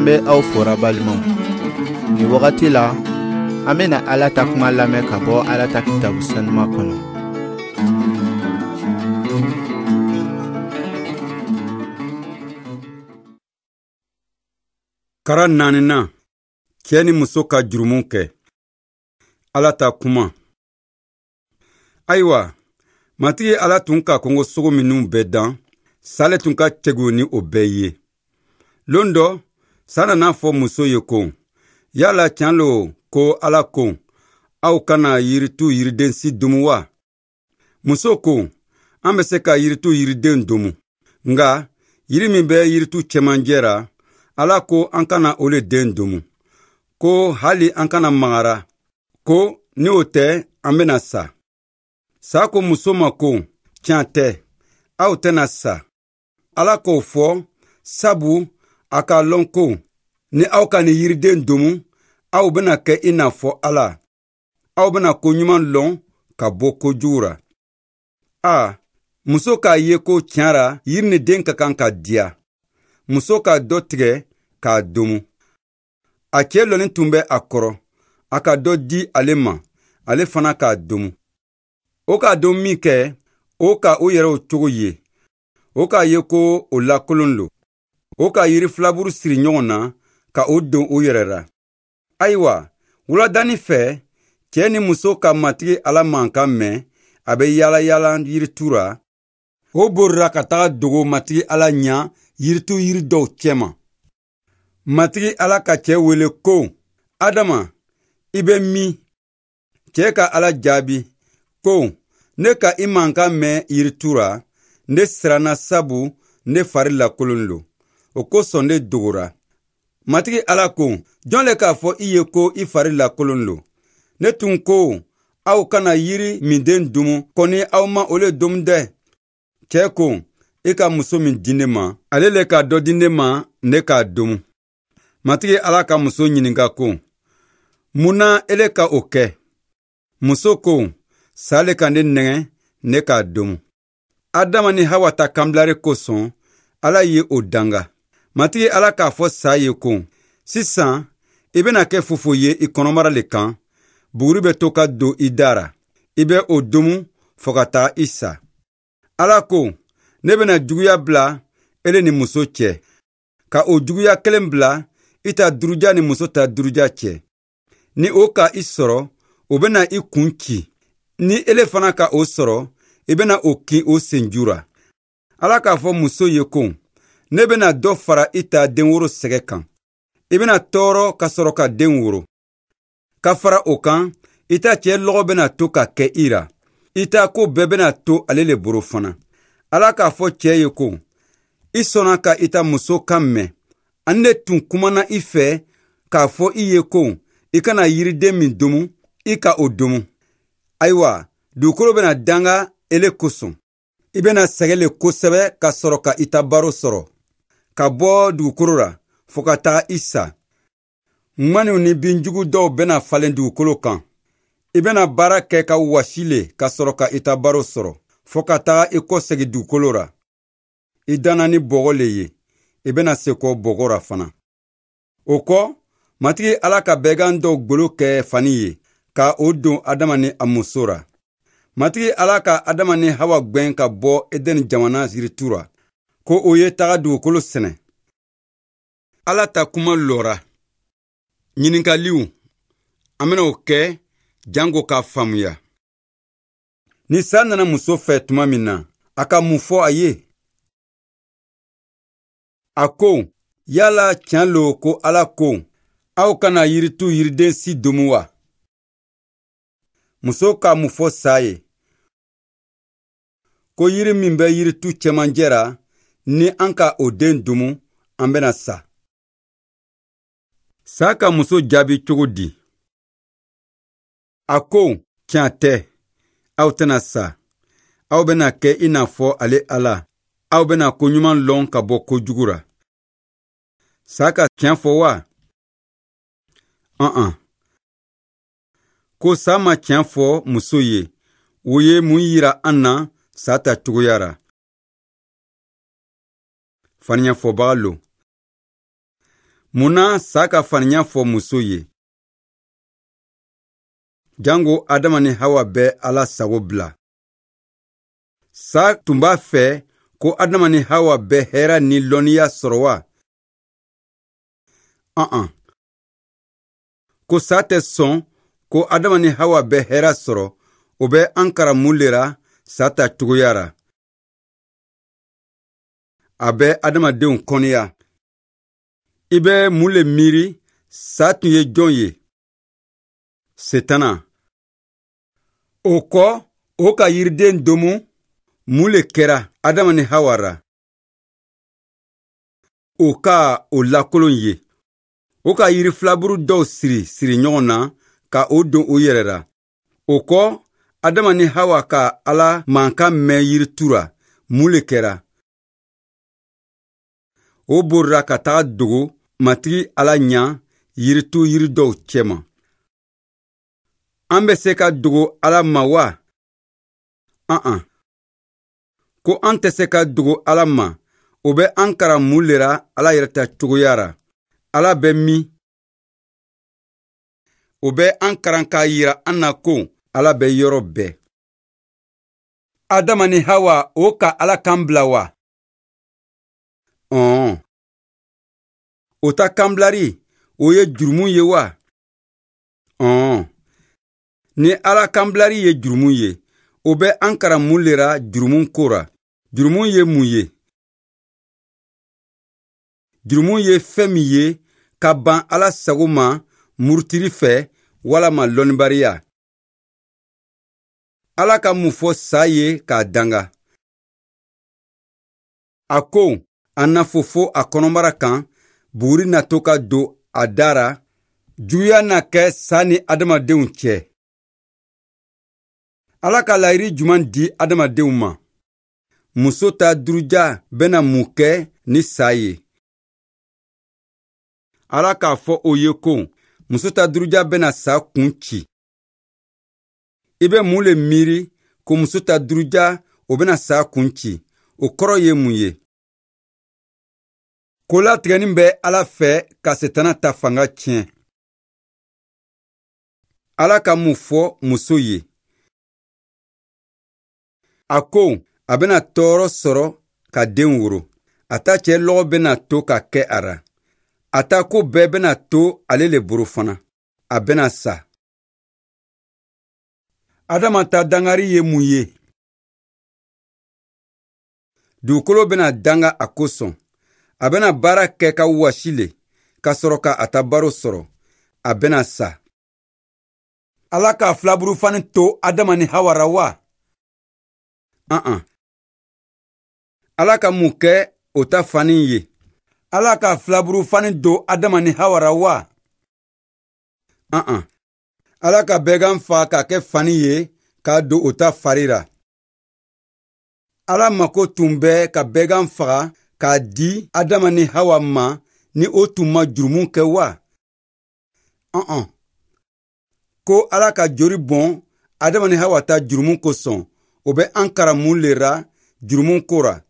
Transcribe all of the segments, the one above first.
An bɛ aw fora balimaw. Nin wagati la, an bɛna Ala ta kuma lamɛn ka bɔ Ala ta kitabu sanuma kɔnɔ. Kara naaninan, cɛɛ ni muso ka jurumu kɛ. Ala ta kuma. Ayiwa, Matigi Ala tun ka kungo sogo minnu bɛɛ dan, sa le tun ka cɛgu ni o bɛɛ ye. Lon dɔ, sa nana fɔ muso ye ko, yala tiɲɛ lo ko Ala ko, aw kana yiritu yiriden si domu wa? Muso ko, an bɛ se ka yiritu yiriden domu, nka yiri min bɛ yiritu cɛmancɛ ra, Ala ko an kana o le den domu, ko hali an kana magara, ko ni o tɛ an bɛna sa. Sa ko muso ma ko, tiɲɛ tɛ, aw tɛna sa. Ala k'o fɔ sabu a k'a lɔn ko ni aw ka nin yiriden domu, aw bɛna kɛ i n'a fɔ Ala. Aw bɛna ko ɲuman lɔn ka bɔ ko jugu ra. A, muso k'a ye ko tiɲɛ ra yiri ni den ka kan ka diya. Muso ka dɔ tigɛ k'a domu. A cɛ lɔnin tun bɛ a kɔrɔ, a ka dɔ di ale ma, ale fana k'a domu. O k'a don min kɛ, o ka o yɛrɛw cogo ye. O k'a ye ko o lakolon lo. O ka yiri filaburu siri ɲɔgɔn na ka o don o yɛrɛ ra. Ayiwa, wuladanin fɛ, cɛ ni muso ka Matigi Ala mankan mɛn, a bɛ yaala yaala yiritu ra. O borira ka taga dogo Matigi Ala ɲa yiritu yiri dɔw cɛma. Matigi Ala ka cɛ wele ko, Adama, i bɛ min? Cɛ ka Ala jaabi ko, ne ka i mankan mɛn yiritu ra, ne siranna sabu ne fari lakolon lo. O kosɔn ne dogora. Matigi Ala ko, jɔn le k'a fɔ i ye ko i fari lakolon lo? Ne tun ko, aw kana yiri minden domu, kɔni aw ma o le domu dɛ. Cɛ ko, i ka muso min di ne ma, ale le ka dɔ di ne ma, ne k'a domu. Matigi Ala ka muso ɲininka ko, mun na ele ka o kɛ? Muso ko, sa le ka ne nɛgɛn, ne k'a domu. Adama ni Hawa ta kanbilari kosɔn, Ala ye o danga. Matigi Ala k'a fɔ sa ye ko, sisan i bɛna kɛ fofo ye i kɔnɔbara le kan, buguri bɛ to ka don i da ra, i bɛ o domu fo ka taa i sa. Ala ko, ne bɛna juguya bila ele ni muso cɛ, ka o juguya kelen bila i ta duruja ni muso ta duruja cɛ. Ni o ka i sɔrɔ, o bɛna i kun ci. Ni ele fana ka o sɔrɔ, i bɛna o kin o senju ra. Ala k'a fɔ muso ye ko, ne bɛna dɔ fara i ta denworo sɛgɛ kan. I bɛna tɔɔrɔ ka sɔrɔ ka den woro. Ka fara o kan, i ta cɛ lɔgɔ bɛna to ka kɛ i ra. I ta ko bɛɛ bɛna to ale le boro fana. Ala k'a fɔ cɛ ye ko, i sɔnna ka i ta muso kan mɛn. Ani ne tun kumana i fɛ k'a fɔ i ye ko, i kana yiriden min domu, i ka o domu. Ayiwa, dugukolo bɛna danga ele kosɔn. I bɛna sɛgɛn le kosɛbɛ ka sɔrɔ ka i ta baro sɔrɔ, ka bɔ dugukolo ra fo ka taga i sa. Ŋaniw ni binjugu dɔw bɛna falen dugukolo kan. I bɛna baara kɛ ka wasi le ka sɔrɔ ka i ta baro sɔrɔ, fo ka taga i kɔsegin dugukolo ra. I danna ni bɔgɔ le ye, i bɛna sekɔ bɔgɔ ra fana. O kɔ, Matigi Ala ka bɛgan dɔw golo kɛ fani ye, ka o don Adama ni a muso ra. Matigi Ala ka Adama ni Hawa gwɛn ka bɔ Edɛni jamana yiritu ra, ko o ye taga dugukolo sɛnɛ. Ala ta kuma lɔra. Ɲininkaliw, an bɛna o kɛ janko k'a faamuya. Ni sa nana muso fɛ tuma min na, a ka mun fɔ a ye? A ko, yala tiɲɛ lo ko Ala ko, aw kana yiritu yiriden si domu wa? Muso ka mun fɔ sa ye? Ko yiri min bɛ yiritu cɛmancɛ ra, ni an ka o den domu, an bɛna sa. Sa ka muso jaabi cogo di? A ko, tiɲɛ tɛ, aw tɛna sa. Aw bɛna kɛ i n'a fɔ ale Ala. Aw bɛna ko ɲuman lɔn ka bɔ ko jugu ra. Sa ka tiɲɛ fɔ wa? An-an. Ko sa ma tiɲɛ fɔ muso ye, o ye mun yira an na sa ta cogoya ra? Faniɲɛfɔbaga lo. Mun na sa ka faniya fɔ muso ye? Jango Adama ni Hawa bɛ Ala sago bila. Sa tun b'a fɛ ko Adama ni Hawa bɛ hɛrɛ ni lɔnniya sɔrɔ wa? An-an. Ko sa tɛ sɔn ko Adama ni Hawa bɛ hɛrɛ sɔrɔ, o bɛ an karan mun le ra sa ta cogoya ra? A bɛ adamadenw kɔniya. I bɛ mun le miiri sa tun ye jɔn ye? Setana. O kɔ, o ka yiriden domu, mun le kɛra Adama ni Hawa ra? O ka o lakolon ye. O ka yiri filaburu dɔw siri siri ɲɔgɔn na ka o don o yɛrɛ ra. O kɔ, Adama ni Hawa ka Ala mankan mɛn yiritu ra, mun le kɛra? O borira ka taga dogo Matigi Ala ɲa yiritu yiri dɔw cɛma. An bɛ se ka dogo Ala ma wa? An-an. Ko an tɛ se ka dogo Ala ma, o bɛ an karan mun le ra Ala yɛrɛ ta cogoya ra? Ala bɛ min? O bɛ an karan k'a yira an na ko Ala bɛ yɔrɔ bɛɛ. Adama ni Hawa o ka Ala kan bila wa? Ɔn. O ta kanbilari, o ye jurumu ye wa? Ɔn. Ni Ala kanbilari ye jurumu ye, o bɛ an karan mun le ra jurumu ko ra? Jurumu ye mun ye? Jurumu ye fɛn min ye ka ban Ala sago ma murutili fɛ walama lɔnnibariya. Ala ka mun fɔ sa ye k'a danga? A ko a na fofo a kɔnɔbara kan, buguri na to ka don a da ra, juguya na kɛ sa ni adamadenw cɛ. Ala ka layiri juman di adamadenw ma? Muso ta duruja bɛna mun kɛ ni sa ye? Ala k'a fɔ o ye ko muso ta duruja bɛna sa kun ci. I bɛ mun le miiri ko muso ta duruja o bɛna sa kun ci? O kɔrɔ ye mun ye? Ko latigɛnin bɛ Ala fɛ ka Setana ta fanga tiɲɛ. Ala ka mun fɔ muso ye? A ko a bɛna tɔɔrɔ sɔrɔ ka den woro. A ta cɛ lɔgɔ bɛna to ka kɛ a ra. A ta ko bɛɛ bɛna to ale le boro fana. A bɛna sa. Adama ta dangari ye mun ye? Dugukolo bɛna danga a kosɔn. A bɛna baara kɛ ka wasi le, ka sɔrɔ ka a ta baro sɔrɔ. A bɛna sa. Ala ka filaburufani to Adama ni Hawa ra wa? An-an. Ala ka mun kɛ o ta fani ye? Ala ka filaburufani don Adama ni Hawa ra wa? An-an. Ala ka bɛgan fa k'a kɛ fani ye k'a don o ta fari ra. Ala mako tun bɛ ka bɛgan faga k'a di Adama ni Hawa ma ni o tun ma jurumu kɛ wa? An-an. Ko Ala ka jori bɔn Adama ni Hawa ta jurumu kosɔn, o bɛ an karan mun le ra jurumu ko ra?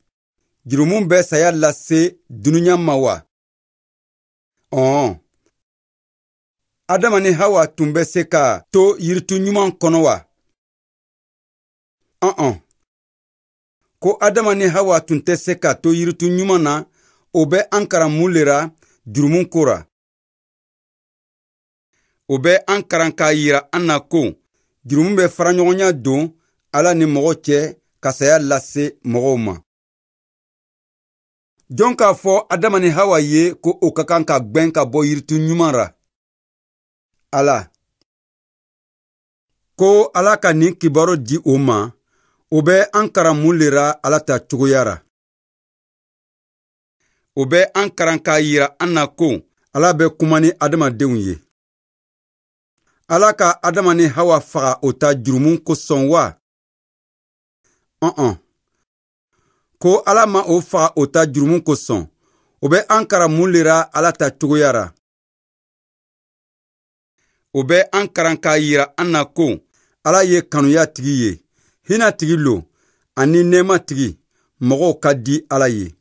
Jurumu bɛ saya lase dunuya ma wa? Ɔn. Adama ni Hawa tun bɛ se ka to yiritu ɲuman kɔnɔ wa? Ɔn-ɔn. Ko Adama ni Hawa tun tɛ se ka to yiritu ɲuman na, o bɛ an karan mun le ra jurumu ko ra? O bɛ an karan k'a yira an na ko jurumu bɛ faraɲɔgɔnya don Ala ni mɔgɔ cɛ ka saya lase mɔgɔw ma. Jɔn k'a fɔ Adama ni Hawa ye ko o ka kan ka gwɛn ka bɔ yiritu ɲuman ra? Ala. Ko Ala ka nin kibaru di o ma, o bɛ an karan mun le ra Ala ta cogoya ra? O bɛ an karan k'a yira an na ko Ala bɛ kuma ni adamadenw ye. Ala ka Adama ni Hawa faga o ta jurumu kosɔn wa? Ɔn-ɔn. Ko Ala ma o faga o ta jurumu kosɔn, o bɛ an karan mun le ra Ala ta cogoya ra? O bɛ an karan k'a yira an na ko Ala ye kanuya tigi ye, hinɛ tigi lo, ani nɛɛma tigi, mɔgɔw ka di Ala ye.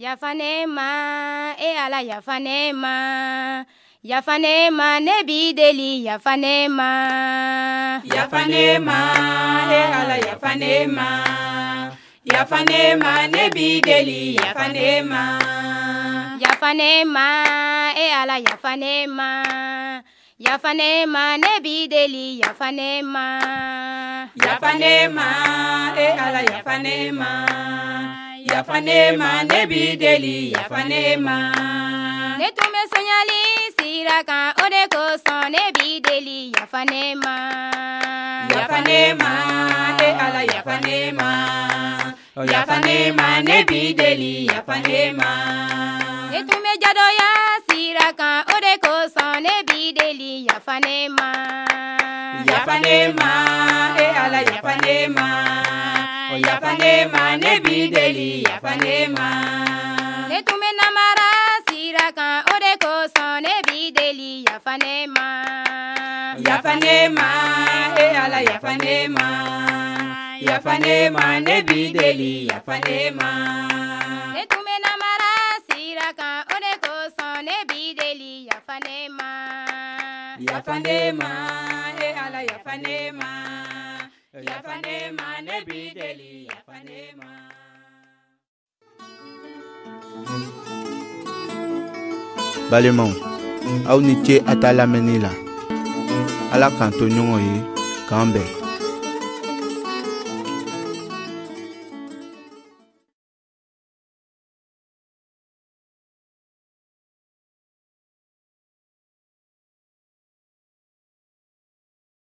Yafa ne ma, e Ala, yafa ne ma. Yafa ne ma, ne b'i deli, yafa ne ma. Yafa ne ma, e Ala, yafa ne ma. Yafa ne ma, ne b'i deli, yafa ne ma. Yafa ne ma, e Ala, yafa ne ma. Yafa ne ma, ne b'i deli, yafa ne ma. Yafa ne ma, e Ala, yafa ne ma. Yafa ne ma, ne b'i deli, yafa ne ma. Ne tun bɛ sonyali sira kan, o de kosɔn ne b'i deli, yafa ne ma. Yafa ne ma, e Ala, yafa ne ma. Yafa ne ma, ne b'i deli, yafa ne ma. Ne tun bɛ jadɔya sira kan, o de kosɔn ne b'i deli, yafa ne ma. Yafa ne ma, e Ala, yafa ne ma. Yafa ne ma, ne b'i deli, yafa ne ma. Ne tun bɛ namara sira kan, o de kosɔn ne b'i deli, yafa ne ma. Yafa ne ma, e Ala, yafa ne ma. Yafa ne ma, ne b'i deli, yafa ne ma. Ne tun bɛ namara sira kan, o de kosɔn ne b'i deli, yafa ne ma. Yafa ne ma, e Ala, yafa ne ma. Yafa ne ma, ne b'i deli, yafa ne ma. Balimaw, aw ni ce a ta lamɛnni la. Ala k'an to ɲɔgɔn ye, k'an bɛn.